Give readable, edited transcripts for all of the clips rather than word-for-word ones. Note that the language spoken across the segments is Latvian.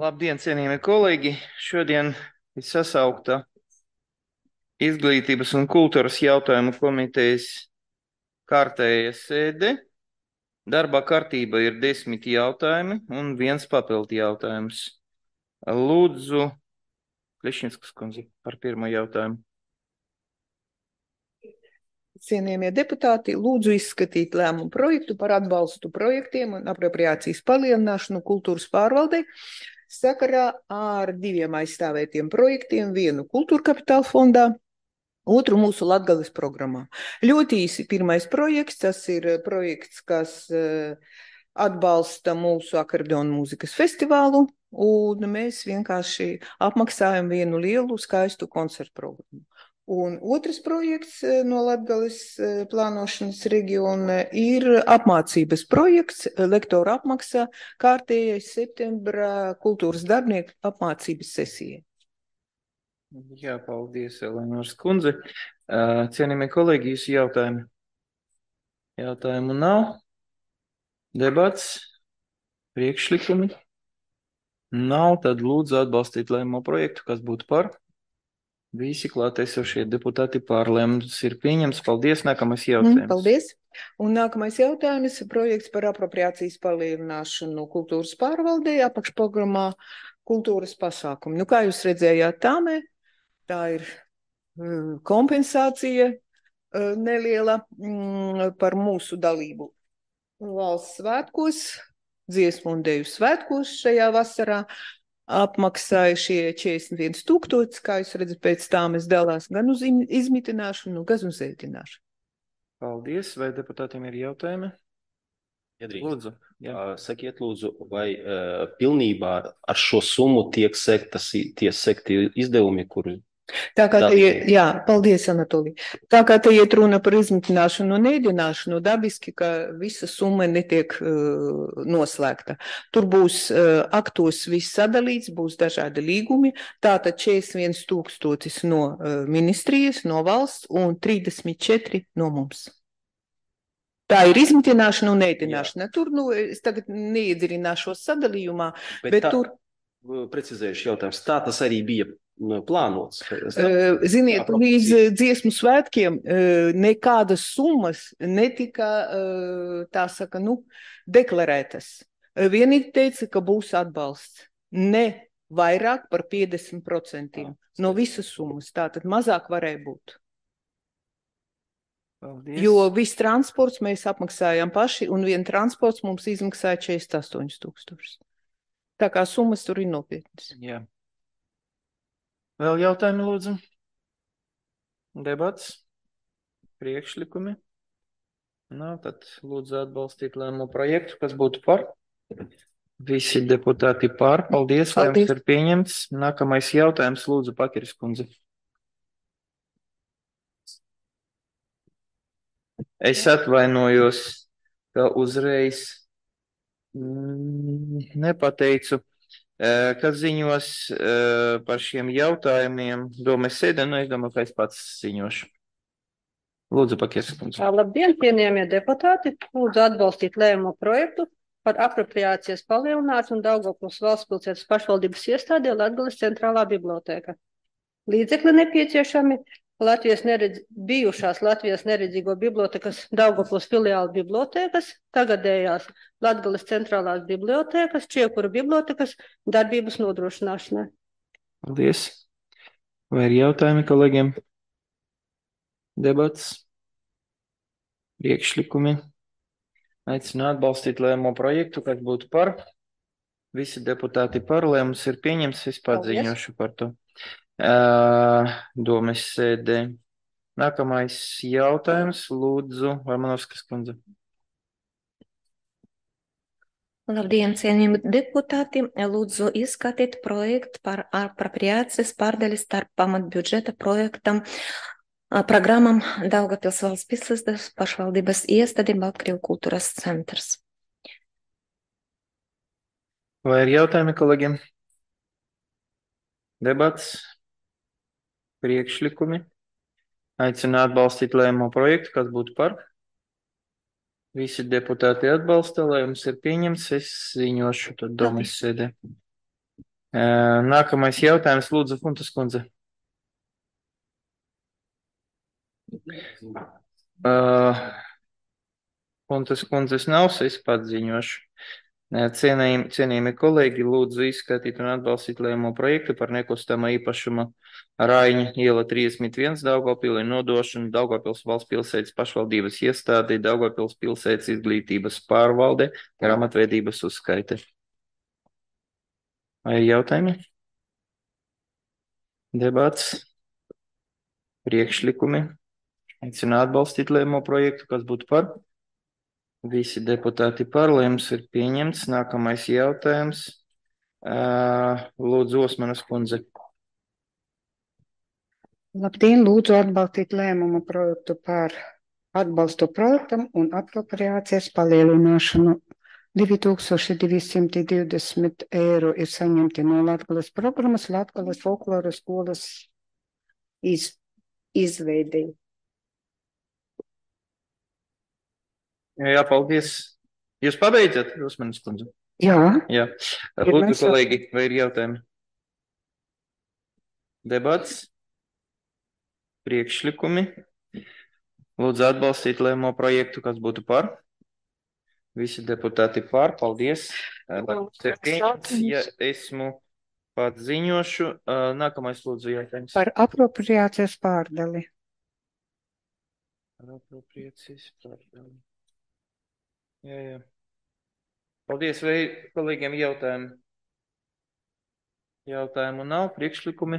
Labdien, cienījamie kolēģi! Šodien ir sasaukta Izglītības un kultūras jautājumu komitejas kārtēja sēde. Darbā kārtība ir 10 jautājumi un viens papildu jautājums. Lūdzu, Klišinskas kundze par pirmo jautājumu. Cienījamie deputāti, lūdzu izskatīt lēmumu projektu par atbalstu projektiem un apropriācijas palielināšanu kultūras pārvaldei sakarā ar 2 aizstāvētiem projektiem, vienu kultūra kapitāla fondā, otru mūsu Latgales programmā. Ļoti īsi pirmais projekts, tas ir projekts, kas atbalsta mūsu akordeonu mūzikas festivālu, un mēs vienkārši apmaksājam vienu lielu skaistu koncertu programmu. Un otrs projekts no Latgales plānošanas reģiona ir apmācības projekts, lektora apmaksā kārtējais septembra kultūras darbinieku apmācības sesijai. Jā, paldies, Eleonors kundze. Cienījamie kolēģi, jūsu jautājumi? Jautājumu nav. Debats? Priekšlikumi? Nav, tad lūdzu atbalstīt lēmumu projektu, kas būtu par. Visi klātesošie deputāti par lēmums ir pieņemts. Paldies, nākamais jautājums. Paldies. Un nākamais jautājums ir projekts par apropriācijas palielināšanu kultūras pārvaldē apakšprogrammā kultūras pasākumi. Kā jūs redzējāt tāmē, tā ir kompensācija neliela par mūsu dalību valsts svētkos, dziesmu un deju svētkos šajā vasarā. Apmaksāja šie 41 000, kā jūs redzat, pēc tām es dalās gan uz izmitināšanu, gan uz ēdināšanu. Paldies. Vai deputātiem ir jautājumi? Lūdzu. Sakiet, lūdzu, vai pilnībā ar šo summu tiek sekti izdevumi, kuri... Paldies, Anatolij. Tā kā te iet runa par izmitināšanu un ēdināšanu, dabiski, ka visa summa netiek noslēgta. Tur būs aktos viss sadalīts, būs dažādi līgumi, tātad 41 000 no ministrijas, no valsts un 34 no mums. Tā ir izmitināšana un ēdināšana. Tur, es tagad neiedziļināšos sadalījumā, bet tur... Precizējuši jautājums, tā tas arī bija plānots. Ziniet, līdz dziesmu svētkiem nekādas summas netika, deklarētas. Vienīgi teica, ka būs atbalsts. Ne vairāk par 50% no visas summas. Tātad mazāk varēja būt. Paldies. Jo viss transports mēs apmaksājām paši, un vien transports mums izmaksāja 48 000. Tā kā summas tur ir nopietnas. Jā. Vēl jautājumi, lūdzu? Debats? Priekšlikumi? Nav, tad lūdzu atbalstīt lēmumu projektu, kas būtu par. Visi deputāti par. Paldies, lēmums ir pieņemts. Nākamais jautājums, lūdzu, Pakiris kundze. Es atvainojos, ka uzreiz nepateicu, kas ziņos par šiem jautājumiem. Domas sēdē, es domāju, ka es pats ziņošu. Lūdzu, Pakiris kundze. Labdien, cienījamie deputāti. Lūdzu atbalstīt lēmumu projektu par apropriācijas palielināšanu Daugavpils valsts pilsētas pašvaldības iestādē Latgales centrālā bibliotēka. Līdzekļi nepieciešami bijušās Latvijas neredzīgo bibliotekas Daugavpils filiāla bibliotēkas, tagadējās Latgales centrālās bibliotēkas, Čiekura bibliotekas darbības nodrošināšanai. Paldies. Vai ir jautājumi kolēģiem? Debats? Priekšlikumi? Aicinu atbalstīt lēmumu projektu, kas būtu par. Visi deputāti par. Lēmums ir pieņemts, es pats ziņošu par to. Domas sēdē. Nākamais jautājums, lūdzu, Varmanovskas kundze. Labdien, cienījami deputāti. Lūdzu izskatīt projektu par apropriācijas pārdali starp pamatbudžeta projektam programmam Daugavpils valsts pilsētas pašvaldības iestāde Baltkrievu kultūras centrs. Vai ir jautājumi kolēģiem? Debats? Priekšlikumi? Aicinu atbalstīt lēmumu projektu, kas būtu par. Visi deputāti atbalsta, lēmums ir pieņemts, es ziņošu tad domas sēdē. Nākamais jautājums, lūdzu, Funtas kundze. Funtas kundzes nav, es pats ziņošu. Cienījami kolēģi, lūdzu izskatīt un atbalstīt lēmumu projektu par nekustamā īpašuma Raiņa iela 31 Daugavpilī nodošanu Daugavpils valsts pilsētas pašvaldības iestādē Daugavpils pilsētas izglītības pārvalde grāmatvedības uzskaite. Vai jautājumi? Debats? Priekšlikumi? Aicinu atbalstīt lēmumu projektu, kas būtu par? Visi deputāti par, lēmums ir pieņemts. Nākamais jautājums. Lūdzu, Osmanas kundze. Labdien, lūdzu atbalstīt lēmumu projektu par atbalstu projektam un apropriācijas palielināšanu. 2220 eiro ir saņemti no Latgales programmas Latgales folkloras skolas izveidei. Jā, paldies. Jūs pabeidzat, Osmanas kundze? Jā. Jā. Lūdzu, kolēģi, vai ir jautājumi? Debats? Priekšlikumi? Lūdzu atbalstīt lēmumu projektu, kas būtu par? Visi deputāti par, paldies. Ja esmu pats ziņošu, nākamais lūdzu jautājums. Par apropriācijas pārdali. Par apropriācijas pārdali. Jā. Paldies, vai kolēģiem jautājumi? Jautājumu nav, priekšlikumi?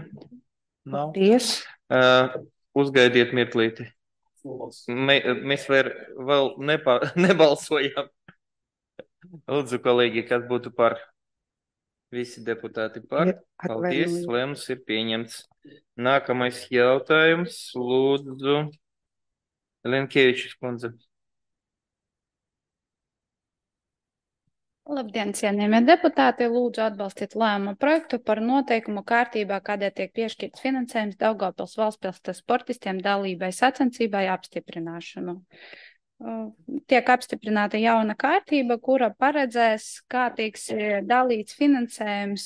Nav. Paldies. Uzgaidiet mirklīti. Mēs vēl nebalsojam. Lūdzu, kolēģi, kas būtu par? Visi deputāti par. Paldies, lēmums ir pieņemts. Nākamais jautājums, lūdzu, Lenkēvičs kundze. Labdien, cienījamie deputāti, lūdzu atbalstīt lēmumu projektu par noteikumu kārtībā, kādēļ tiek piešķirts finansējums Daugavpils valstspilsētas sportistiem dalībai sacensībai apstiprināšanu. Tiek apstiprināta jauna kārtība, kura paredzēs, kā tiks dalīts finansējums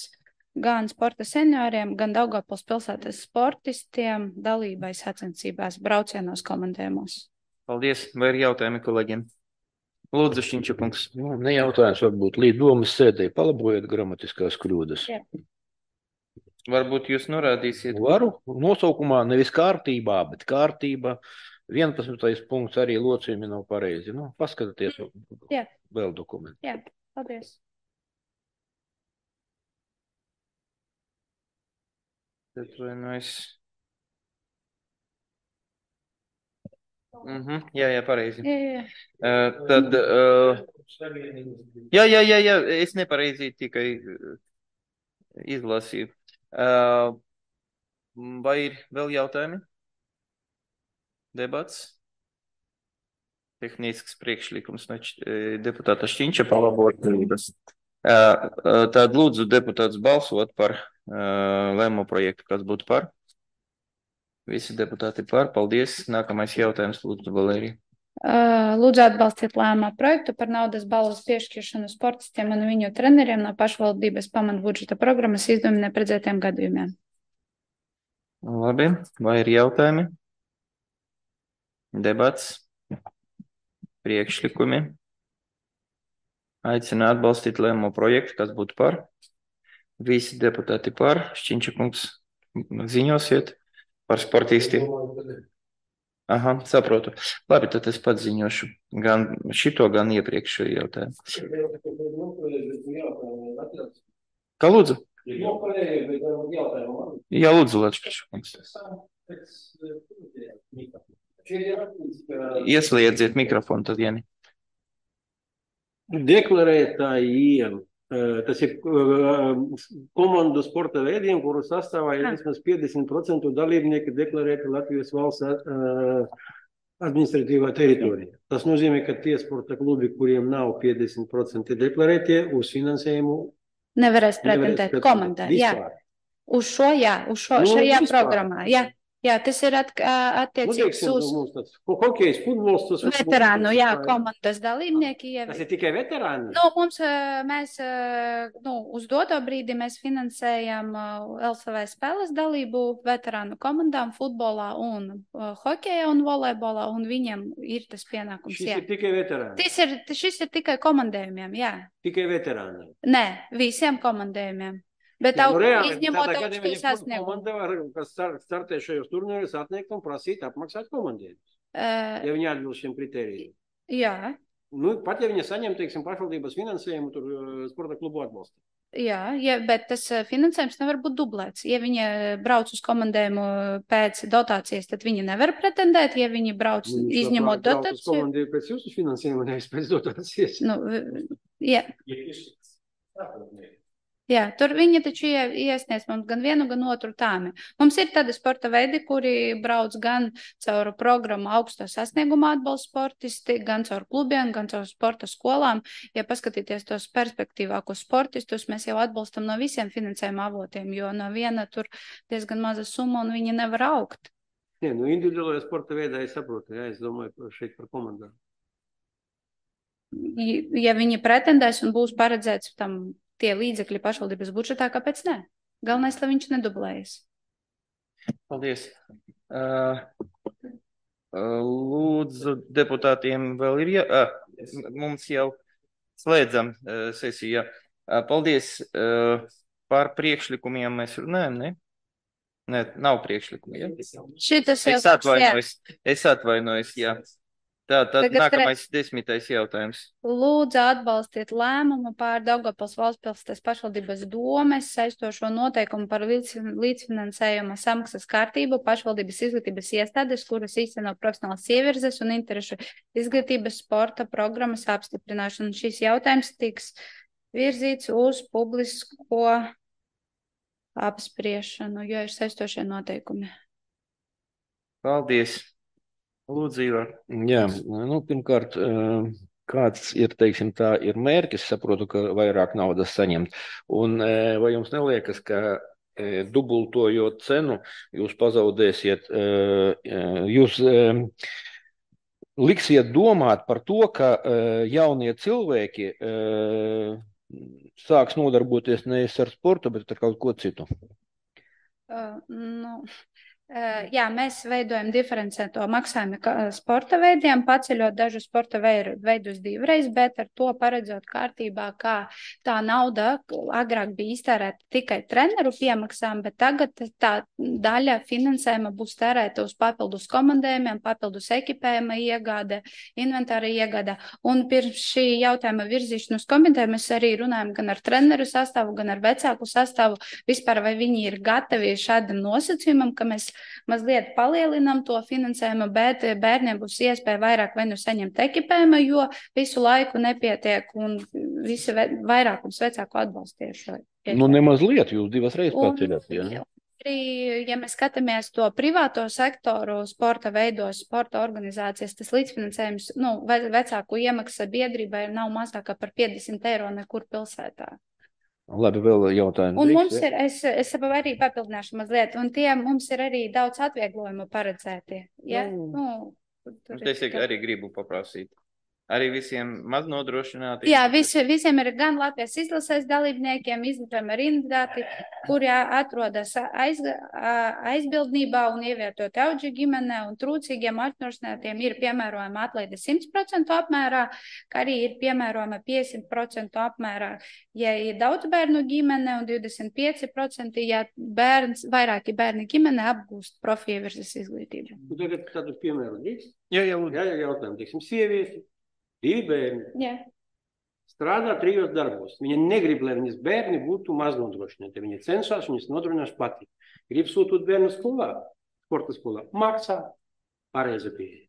gan sporta senioriem, gan Daugavpils pilsētas sportistiem dalībai sacensībās braucienos komandējumos. Paldies, vai ir jautājumi kolēģiem? Lūdzu, Šķiņčakungs. Ne jautājums, varbūt līdz domas sēdē palabojiet gramatiskās kļūdas. Jā. Varbūt jūs norādīsiet. Varu nosaukumā nevis kārtībā, bet kārtība. 11. punkts arī locījumi nav pareizi. Paskatieties vēl dokumentu. Jā, paldies. Jā, pareizi. Jā. Tad, jā, es nepareizi tikai izlasīju. Vai ir vēl jautājumi? Debats? Tehnisks priekšlikums no deputāta Šķiņča palabotības. Tad lūdzu deputāts balsot par lēmumu projektu, kas būtu par. Visi deputāti par. Paldies. Nākamais jautājums, lūdzu, Valērija. Lūdzu atbalstīt lēmumu projektu par naudas balvas piešķiršanu sportistiem un viņu treneriem no pašvaldības pamatbudžeta programmas izdevuma neparedzētiem gadījumiem. Labi. Vai ir jautājumi? Debats? Priekšlikumi? Aicinu atbalstīt lēmumu projektu, kas būtu par. Visi deputāti par. Šķiņčakungs, ziņosiet par sportistiem. Aha, saprotu. Labi, tad es pats ziņošu gan šito, gan iepriekšējo jautājumu. Kā lūdzu? Jā, lūdzu, Lačkaškungs. Iesliedziet mikrofonu tad, Jani. Deklarētājiem. Tas ir komandu sporta veidiem, kuru sastāvā ir vismaz 50% dalībnieki deklarēti Latvijas valsts administratīvā teritorija. Tas nozīmē, ka tie sporta klubi, kuriem nav 50% deklarētie, uz finansējumu nevarēs pretendēt komandai. Jā. Uz šo, jā, šajā programmā. Jā. Jā, tas ir attiecīgs uz hokejs, futbols, tas veterānu, komandas dalībnieki. Tas ir tikai veterāni? Mēs uz doto brīdi mēs finansējam LSV spēles dalību veterānu komandām futbolā un hokejā un volejbolā, un viņiem ir tas pienākums. Šis ir tikai veterāni? Šis ir tikai komandējumiem, jā. Tikai veterāni? Nē, visiem komandējumiem. Bet izņemot augstus sasniegumus. Komanda var, kas startē šajos turnīros, atniegt un prasīt apmaksāt komandējumus, ja viņi atbilst šiem kritērijiem. Jā. Pat ja viņi saņem, teiksim, pašvaldības finansējumu, tur sporta klubu atbalstu. Jā, bet tas finansējums nevar būt dublēts. Ja viņi brauc uz komandējumu pēc dotācijas, tad viņi nevar pretendēt, ja viņi brauc izņemot dotāciju. Brauc uz komandējumu pēc jūsu finansējuma, nevis pēc dotācijas. Jā. Jā, tur viņi taču iesniedz mums gan vienu, gan otru tāmi. Mums ir tādi sporta veidi, kuri brauc gan caur programmu augsto sasniegumu atbalsta sportisti, gan caur klubiem, gan caur sporta skolām. Ja paskatīties tos perspektīvākos sportistus, mēs jau atbalstam no visiem finansējuma avotiem, jo no viena tur diezgan maza summa un viņi nevar augt. Individuālajā sporta veidā es saprotu, es domāju šeit par komandām. Ja viņi pretendēs un būs paredzēts tam tie līdzekļi pašvaldības budžetā, kāpēc ne? Galvenais, lai viņš nedublējas. Paldies. Lūdzu, deputātiem vēl ir mums jau slēdzam sesiju. Paldies. Par priekšlikumiem mēs runājam, ne? Nē, nav priekšlikumi, ja? Es atvainojos, jā. Tad nākamais 10. jautājums. Lūdzu atbalstiet lēmumu pār Daugavpils valstspilsētas pašvaldības domes saistošo noteikumu par līdzfinansējuma samaksas kārtību pašvaldības izglītības iestādes, kuras īsteno profesionālas ievirzes un interešu izglītības sporta programmas apstiprināšanu. Šis jautājums tiks virzīts uz publisko apspriešanu, jo ir saistošie noteikumi. Paldies. Lūdzu, Ivar. Jā, pirmkārt, kāds ir, teiksim, tā ir mērķis, saprotu, ka vairāk naudas saņemt. Un vai jums neliekas, ka dubultojot cenu, jūs pazaudēsiet, jūs liksiet domāt par to, ka jaunie cilvēki sāks nodarboties nevis ar sportu, bet ar kaut ko citu? Jā, mēs veidojam diferencēto maksājumu sporta veidiem, paceļot dažu sporta veidus divreiz, bet ar to paredzot kārtībā, kā tā nauda agrāk bija iztērēta tikai treneru piemaksām, bet tagad tā daļa finansējuma būs tērēta uz papildus komandējumiem, papildus ekipējuma iegāde, inventāra iegāde. Un pirms šī jautājuma virzīšanu uz komiteju mēs arī runājam gan ar treneru sastāvu, gan ar vecāku sastāvu, vispār vai viņi ir gatavi šādam nosacījumam, ka mēs mazliet palielinam to finansējumu, bet bērniem būs iespēja vairāk vai nu saņemt ekipējumu, jo visu laiku nepietiek un visi vairākums vecāku atbalstiešu. Nemazliet, jūs divas reizes paceļat, jā. Ja mēs skatāmies to privāto sektoru sporta veidos, sporta organizācijas, tas līdzfinansējums, vecāku iemaksa biedrībai nav mazākā par 50 eiro nekur pilsētā. Labi, vēl jautājumi. Un mums ir, es arī papildināšu mazliet, un mums ir arī daudz atvieglojumu paredzēti. Ja? Es arī gribu paprasīt. Arī visiem maz nodrošināti? Jā, visiem ir gan Latvijas izlases dalībniekiem, izglītojumi arī indivāti, kuri atrodas aizbildnībā un ievietoti auģu ģimenē, un trūcīgiem atnodrošinātiem ir piemērojama atlaide 100% apmērā, kā arī ir piemērojama 50% apmērā, ja ir daudz bērnu ģimene, un 25%, ja vairāki bērni ģimene apgūst profievirzes izglītību. Tagad tādu piemēru drīkst? Jā, jautājumu, teiksim, sievieti. 2 bērni strādā 3 darbos. Viņa negrib, lai viņas bērni būtu maznodrošināti. Viņa cenšas, viņas nodrošinās pati. Grib sūtīt bērnu skolā, sporta skolā. Maksā pareizi pieeja.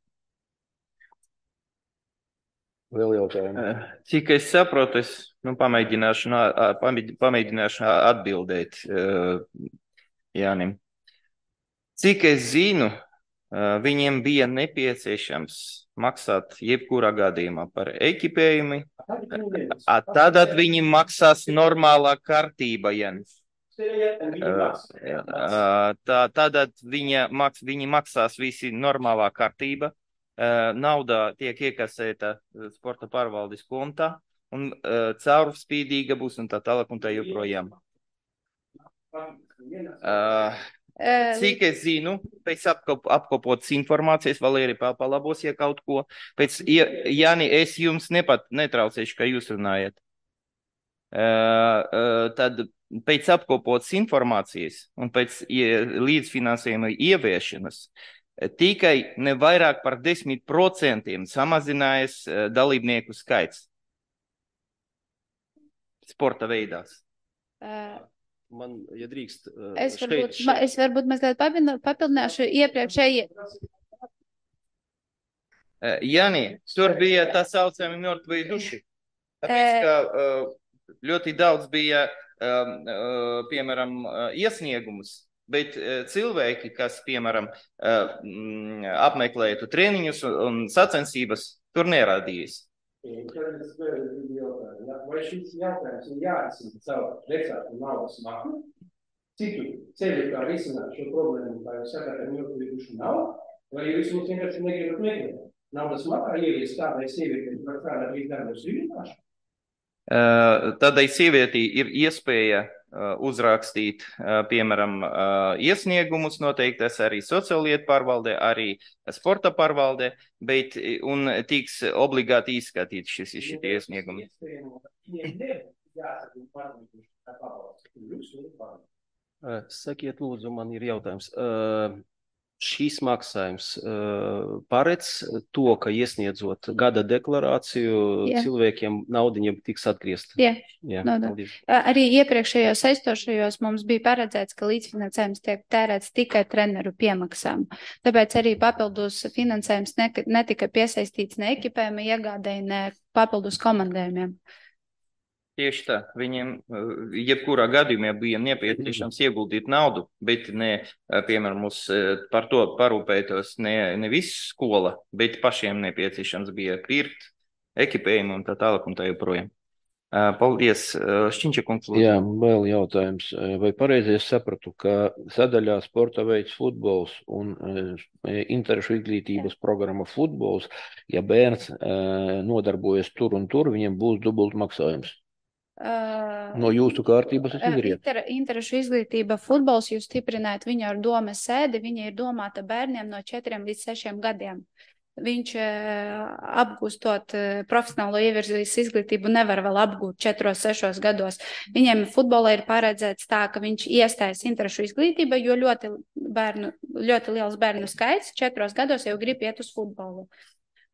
Vēl jautājumi. Cik es saprotu, es pamēģināšu atbildēt Jānim. Cik es zinu, viņiem bija nepieciešams maksāt jebkurā gadījumā par ekipējumu. Tad viņi maksās normālā kārtībā, Jānis. Tātad viņi maksās visi normālā kārtība. Nauda tiek iekasēta sporta pārvaldes kontā un caurspīdīga būs un tā tālāk un tā joprojām. Cik es zinu, pēc apkopotas informācijas, Valērija palabos, ja kaut ko, pēc, Jāni, es jums netraucēšu, ka jūs runājat. Tad pēc apkopotas informācijas un pēc līdzfinansējuma ieviešanas tikai ne vairāk par 10% samazinājas dalībnieku skaits sporta veidās. Man, ja drīkst, Es varbūt mazliet papildināšu iepriekšēji. Jāni, tur bija tā saucami mērtvi duši. Tāpēc, ka ļoti daudz bija, piemēram, iesniegumus, bet cilvēki, kas, piemēram, apmeklētu treniņus un sacensības, tur nerādījās. Vai šis jautājums ir jārisina caur vecāku naudas maksu? Citu ceļu, kā risināt šo problēmu, kā jūs sakāt, ar mērķi nav? Vai jūs mums vienkārši negribat meklēt? Naudas makā ievies tādai sievietei, var kādā brīdī darbos vienkārši? Tādai sievietī ir iespēja uzrakstīt, piemēram, iesniegumus noteiktas arī sociālietu pārvaldē, arī sporta pārvaldē, bet un tiks obligāti izskatīt šitie iesniegumi. Sakiet, lūdzu, man ir jautājums. Šīs maksājums paredz to, ka iesniedzot gada deklarāciju, cilvēkiem naudiņa tiks atgriezt? Jā. Paldies. Arī iepriekšējos saistošajos mums bija paredzēts, ka līdzfinansējums tiek tērēts tikai treneru piemaksām. Tāpēc arī papildus finansējums netika piesaistīts ne ekipējuma iegādēji, ne papildus komandējumiem. Tieši tā, viņiem jebkurā gadījumā bija nepieciešams ieguldīt naudu, bet ne, piemēram, mums par to parūpētos ne visa skola, bet pašiem nepieciešams bija pirkt ekipējumu un tā tālāk un tā joprojām. Paldies, Šķiņča kungs. Jā, vēl jautājums. Vai pareizi es sapratu, ka sadaļā sporta veids futbols un interešu izglītības programma futbols, ja bērns nodarbojas tur un tur, viņam būs dubult maksājums? No jūsu kārtības es izriet. Interešu izglītība futbols, jūs stiprināt viņu ar domas sēdi, viņa ir domāta bērniem no 4 līdz 6 gadiem. Viņš apgūstot profesionālo ievirzīs izglītību nevar vēl apgūt 4-6 gados. Viņiem futbolā ir paredzēts tā, ka viņš iestājas interešu izglītība, jo ļoti liels bērnu skaits 4 gados jau grib iet uz futbolu.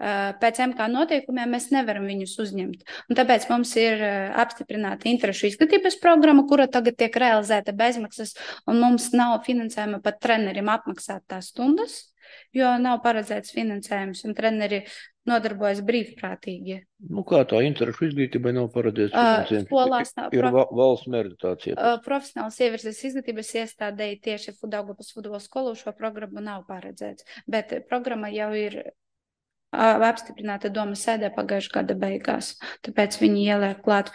Pēc MK noteikumiem mēs nevaram viņus uzņemt. Un tāpēc mums ir apstiprināta interešu izglītības programma, kura tagad tiek realizēta bezmaksas, un mums nav finansējuma pat trenerim apmaksāt tās stundas, jo nav paredzēts finansējums, un treneri nodarbojas brīvprātīgi. Nu kā tā interešu izglītībai nav paredzēts finansējums? Skolās nav. Ir valsts mērķitācija. Profesionāls ievirzes izglītības iestādēji tieši Daugavpils futbola skolu šo programmu nav paredzēts, bet programma jau ir apstiprināta domas sēdē pagājušā gada beigās, tāpēc viņi ieliek klāt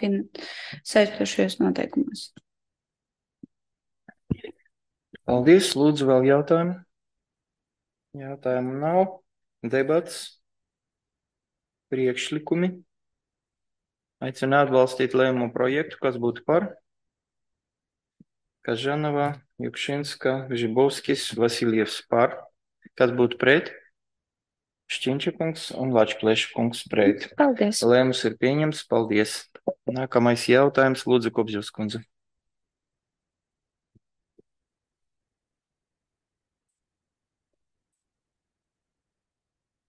saistošajos noteikumos. Paldies, lūdzu, vēl jautājumu? Jautājumu nav. Debats, priekšlikumi. Aicinu atbalstīt lēmumu projektu, kas būtu par. Kažanova, Jukšinska, Žibovskis, Vasiljevs par. Kas būtu pret? Šķiņča kungs un Lačplēša kungs pret. Paldies. Lēmums ir pieņems. Paldies. Nākamais jautājums, lūdzu, Kopževs kundze.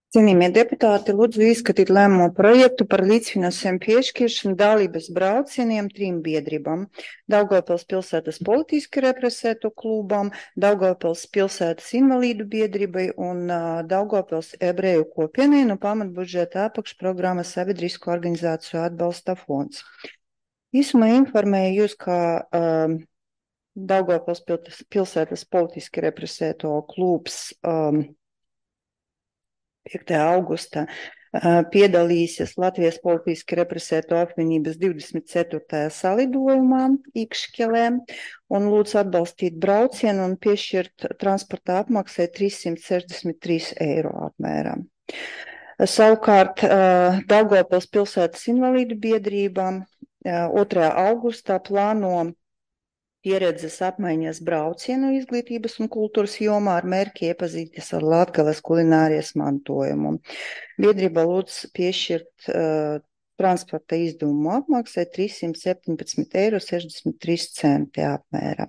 Cienījamie deputāti, lūdzu izskatīt lēmumu projektu par līdzfinansējumu piešķiršanu dalības braucieniem 3 biedrībām – Daugavpils pilsētas politiski represēto klubam, Daugavpils pilsētas invalīdu biedrībai un Daugavpils ebreju kopienai no pamatbudžeta apakšprogrammas sabiedrisko organizāciju atbalsta fonds. Īsumā informēju jūs, ka Daugavpils pilsētas politiski represēto klubs 5. augusta Piedalīsies Latvijas politiski represēto apvienības 24. salidojumā Ikšķelē un lūdz atbalstīt braucienu un piešķirt transporta apmaksai 363 eiro apmērā. Savukārt Daugavpils pilsētas invalīdu biedrībām 2. augustā plāno pieredzes apmaiņas braucienu izglītības un kultūras jomā ar mērķi iepazīties ar Latgales kulinārijas mantojumu. Biedrība lūdz piešķirt transporta izdevumu apmaksai 317,63 eiro apmērā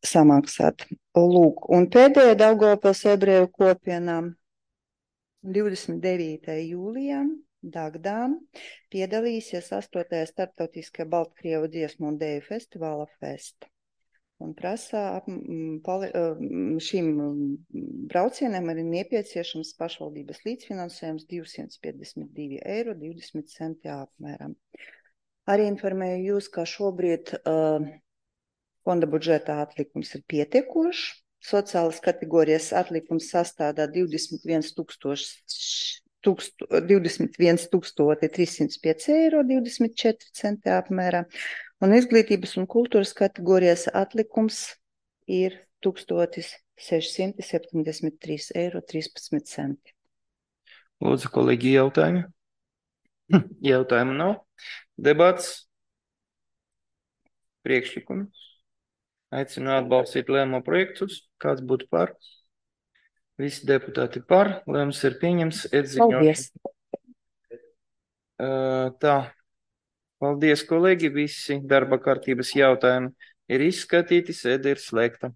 samaksāt. Lūk, un pēdējā Daugavpils ebreju kopienā 29. jūlijā Dagdā piedalīsies 8. starptautiskajā Baltkrievu dziesmu un dēju festivāla Fest. Un prasā šīm braucieniem arī nepieciešams pašvaldības līdzfinansējums 252,20 eiro apmēram. Arī informēju jūs, ka šobrīd fonda budžeta atlikums ir pietiekošs. Sociālas kategorijas atlikums sastādā 21,305,24 eiro apmērā, un izglītības un kultūras kategorijas atlikums ir 1,673,13 eiro. Lūdzu, kolēģi, jautājumi? Jautājumu nav. Debats? Priekšlikumi? Aicinu atbalstīt lēmumu projektus. Kāds būtu par? Visi deputāti par. Lēmums ir pieņems. Paldies! Tā. Paldies, kolēģi. Visi darba kārtības jautājumi ir izskatīti. Sēde ir slēgta.